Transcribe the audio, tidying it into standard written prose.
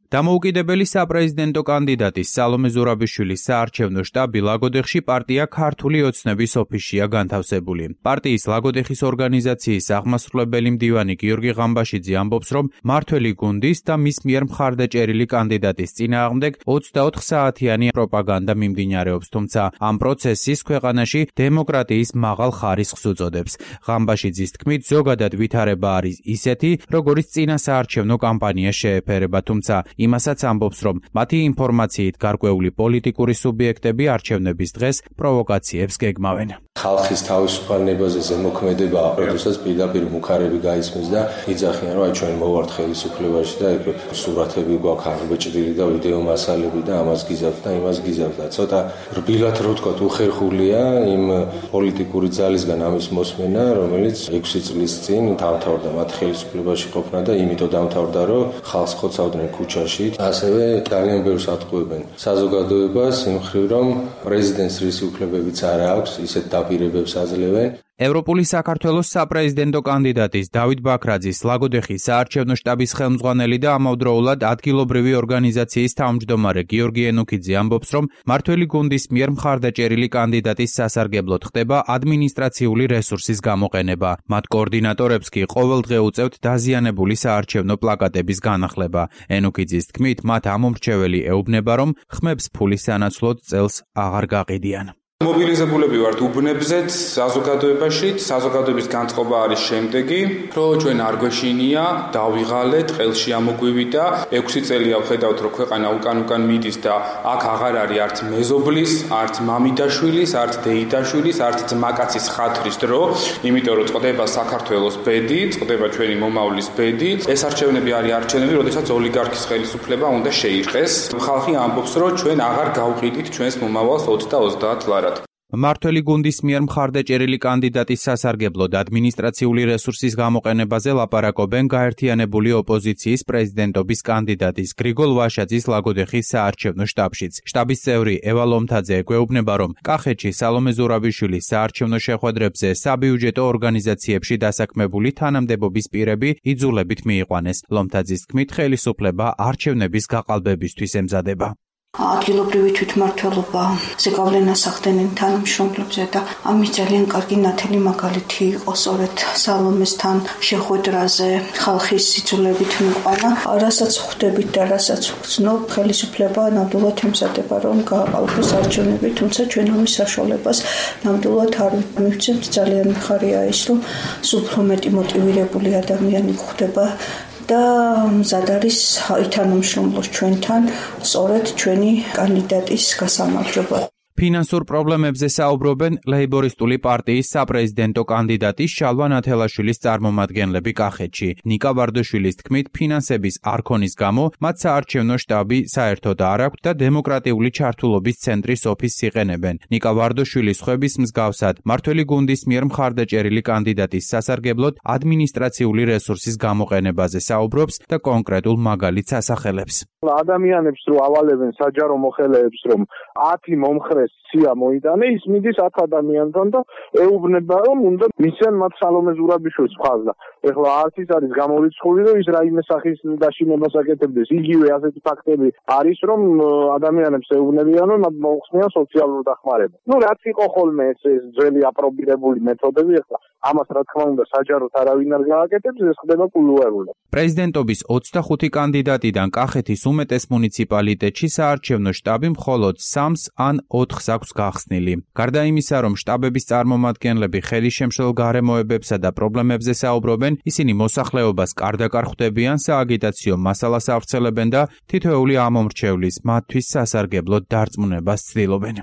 დამოუკიდებელი საპრეზიდენტო კანდიდატის სალომე ზურაბიშვილის საარჩევნო შტაბი ლაგოდეხში პარტია ქართული ოცნების ოფისშია განთავსებული. პარტიის ლაგოდეხის ორგანიზაციის აღმასრულებელი მდივანი გიორგი ღამბაშიძე ამბობს, რომ მართველი გუნდის და მის მიერ მხარდაჭერილი კანდიდატის წინააღმდეგ 24 საათიანი პროპაგანდა მიმდინარეობს, თუმცა ამ პროცესის ქვეყანაში დემოკრატიის მაღალ ხარისხს უწოდებს. ღამბაშიძის თქმით, ზოგადად ვითარება არის ისეთი, როგორიც წინა საარჩევნო კამპანია შეეფერება, თუმცა იმასაც ამბობს, რომ მათი ინფორმაციით გარკვეული პოლიტიკური სუბიექტები არჩევნების დღეს პროვოკაციებს გეგმავენ. ხალხის თავისუფალნებაზე ზემოქმედება, როდესაც პირდაპირ მუქარები გაისმის და იძახიან, რომ ჩვენ მოვართ ხელისუფლებაში და ეგ სურათები გვაქვს აღბეჭდილი და ვიდეო მასალები და ამას გიზავთ და იმას გიზავთ და ცოტა რბილად რო ვთქვათ, უხერხულია იმ პოლიტიკური ძალისგან ამის მოსმენა, რომელიც 6 წლის წინ დამთავრდა მათ ხელისუფლებაში ყოფნა და იმიტომ დამთავრდა, რომ ხალხს ხოცავდნენ ქუჩაში. ასევე ძალიან ბევრს ატყუებენ საზოგადოებას იმ მხრივ, რომ პრეზიდენტს რისი უფლებებიც არ აქვს, ისეთ დაპირებებს აძლევენ. ევროპული საქართველოს საპრეზიდენტო კანდიდატის დავით ბაქრაძის ლაგოდეხის საარჩევნო შტაბის ხელმძღვანელი და ამავდროულად ადგილობრივი ორგანიზაციის თავმჯდომარე გიორგი ენუქიძე ამბობს, რომ მართველი გუნდის მიერ მხარდაჭერილი კანდიდატის სასარგებლოდ ხდება ადმინისტრაციული რესურსის გამოყენება. მათ კოორდინატორებს კი ყოველდღე უწევთ დაზიანებული საარჩევნო პლაკატების განახლება. ენუქიძის თქმით, მათ ამომრჩეველი ეუბნება, რომ ხმებს ფულის სანაცვლოდ წელს აღარ გაყიდიან. მობილიზებულები ვართ უბნებზეც, საზოგადოებაში, საზოგადოების განწყობა არის შემდეგი, რომ ჩვენ არ გვეშინია, დავიღალეთ, ყელში ამოგვივიდა და 6 წელია ვხედავთ, რომ ქვეყანა უკან მიდის და აქ აღარ არის არც მეზობლის, არც მამიდაშვილის, არც დეიდაშვილის, არც ძმაკაცის ხათრის დრო, იმიტომ რომ წყდება საქართველოს ბედი, წყდება ჩვენი მომავლის ბედი. ეს არჩევნები არის არჩევნები, როდესაც ოლიგარქის ხელისუფლება უნდა შეირყეს. ხალხი ამბობს, რომ ჩვენ აღარ გავყიდით ჩვენს მომავალს 20 და 30 ლარად. მართველი გუნდის მიერ მხარდაჭერილი კანდიდატის სასარგებლოდ ადმინისტრაციული რესურსის გამოყენებაზე ლაპარაკობენ გაერთიანებული ოპოზიციის პრეზიდენტობის კანდიდატის გრიგოლ ვაშაძის ლაგოდეხის საარჩევნო შტაბშიც. შტაბის წევრი ევა ლომთაძე ეგვეუბნება, რომ კახეთში სალომე ზურაბიშვილის საარჩევნო შეხვედრებზე საბიუჯეტო ორგანიზაციებში დასაქმებული თანამდებობის პირები იძულებით მიიყვანეს. ლომთაძის თქმით, ხელისუფლება არჩევნების გაყალბებისთვის ემზადება. ადგილობრივი თვითმმართველობა ზეგავლენას ახდენენ თანამშრომლებზე და ამის ძალიან კარგი ნათელი მაგალითი იყო სწორედ სალომესთან შეხვედრაზე ხალხის სიძულებით მიყვანა. რასაც ხვდებით და რასაც ვგრძნობ, ხელისუფლება ნამდვილად ემზადება, რომ გააყალბოს არჩევნები, თუმცა ჩვენ ამის საშუალებას ნამდვილად არ მივცემთ. ძალიან მხარია ის, რომ უფრო მეტი მოტივირებული ადამიანი გვხვდება და მზად არის ითანამშრომლოს ჩვენთან სწორედ ჩვენი კანდიდატის გასამარჯვებლად. ფინანსურ პრობლემებზე საუბრობენ ლეიბორისტული პარტიის საპრეზიდენტო კანდიდატის შალვა ნათელაშვილის წარმომადგენლები კახეთში. ნიკა ვარდაშვილის თქმით, ფინანსების არქონის გამო მათ საარჩევნო შტაბი საერთოდ არ აქვთ და დემოკრატიული ჩართულობის ცენტრის ოფისს იყენებენ. ნიკა ვარდაშვილის ხვების მსგავსად, მართველი გუნდის მიერ მხარდაჭერილი კანდიდატის სასარგებლოდ ადმინისტრაციული რესურსის გამოყენებაზე საუბრობს და კონკრეტულ მაგალითს ასახელებს. ადამიანებს რო ავალებენ საჯარო მოხელეებს, რომ 10 მომხრე სია მოიტანე, ის მიდის 10 ადამიანთან და ეუბნება, რომ უნდა მისცენ მათ სალომე ზურაბიშვილს მხარს. ეხლა არც ის არის გამორიცხული, რომ ის რაიმე სახის დაშინებას აკეთებდეს. იგივე ასეთი ფაქტები არის, რომ ადამიანებს ეუბნებიან, რომ მათ მოუხსნიან სოციალურ დახმარებას. რაც იყო ხოლმე ეს ძველი აპრობირებული მეთოდები, ეხლა ამას რა თქმა უნდა საჯაროდ არავინ არ გააკეთებს, ეს ხდება კულუარულად. პრეზიდენტობის 25 კანდიდატიდან კახეთის უმეტეს მუნიციპალიტეტში საარჩევნო შტაბი მხოლოდ 3 ან 4 აქვს გახსნილი. გარდა იმისა, რომ შტაბების წარმომადგენლები ხელისშემშლელ გარემოებებსა და პრობლემებზე საუბრობენ, ისინი მოსახლეობას კარდაკარ ხვდებიან, სააგიტაციო მასალას ავრცელებენ და თითოეული ამომრჩევლის მათთვის სასარგებლოდ დარწმუნებას ცდილობენ.